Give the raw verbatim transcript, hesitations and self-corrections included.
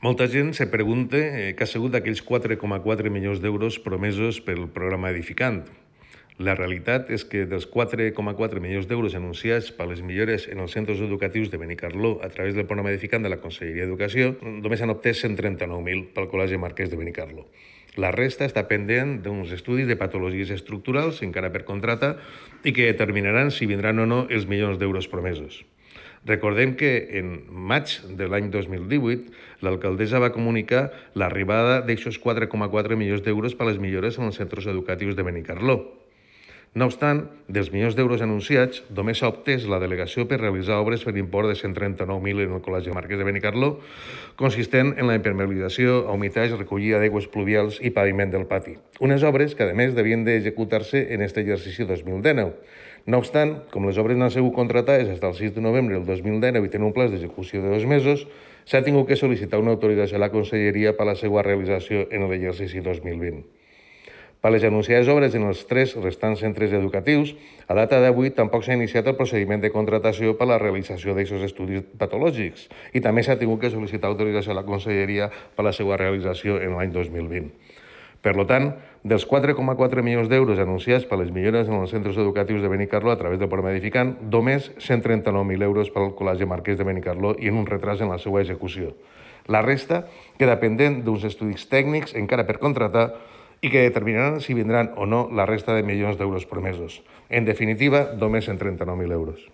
Molta gent se pregunta eh, què ha sigut d'aquells quatre coma quatre milions d'euros promesos pel programa Edificant. La realitat és que dels quatre coma quatre milions d'euros anunciats per les millores en els centres educatius de Benicarló a través del programa Edificant de la Conselleria d'Educació, només han obtès cent trenta-nou mil pel Col·legi Marquès de Benicarló. La resta està pendent d'uns estudis de patologies estructurals encara per contractar i que determinaran si vindran o no els milions d'euros promesos. Recordem que en maig de l'any dos mil divuit l'alcaldessa va comunicar l'arribada d'aquests quatre coma quatre milions d'euros per a les millores en els centres educatius de Benicarló. No obstant, dels milions d'euros anunciats, només s'ha obtès la delegació per realitzar obres per import de cent trenta-nou mil en el Col·legi Marquès de Benicarló, consistent en la impermeabilització, humitatge, recollida d'aigües pluvials i paviment del pati. Unes obres que, a més, devien d'executar-se en aquest exercici dos mil dinou. No obstant, com les obres no han sigut contractades fins al sis de novembre del dos mil dinou i tenen un pla d'execució de dos mesos, s'ha tingut que sol·licitar una autorització a la Conselleria per a la seva realització en l'exercici dos mil vint. Per les anunciades obres en els tres restants centres educatius, a data d'avui tampoc s'ha iniciat el procediment de contractació per a la realització d'aquests estudis patològics i també s'ha tingut que sol·licitar autorització a la Conselleria per a la seva realització en l'any dos mil vint. Per tant, dels quatre coma quatre milions d'euros anunciats per les millores en els centres educatius de Benicarló a través del programa Edificant, només cent trenta-nou mil euros per al Col·legi Marquès de Benicarló i en un retras en la seva execució. La resta queda pendent d'uns estudis tècnics encara per contractar i que determinaran si vindran o no la resta de milions d'euros promesos. En definitiva, només cent trenta-nou mil euros.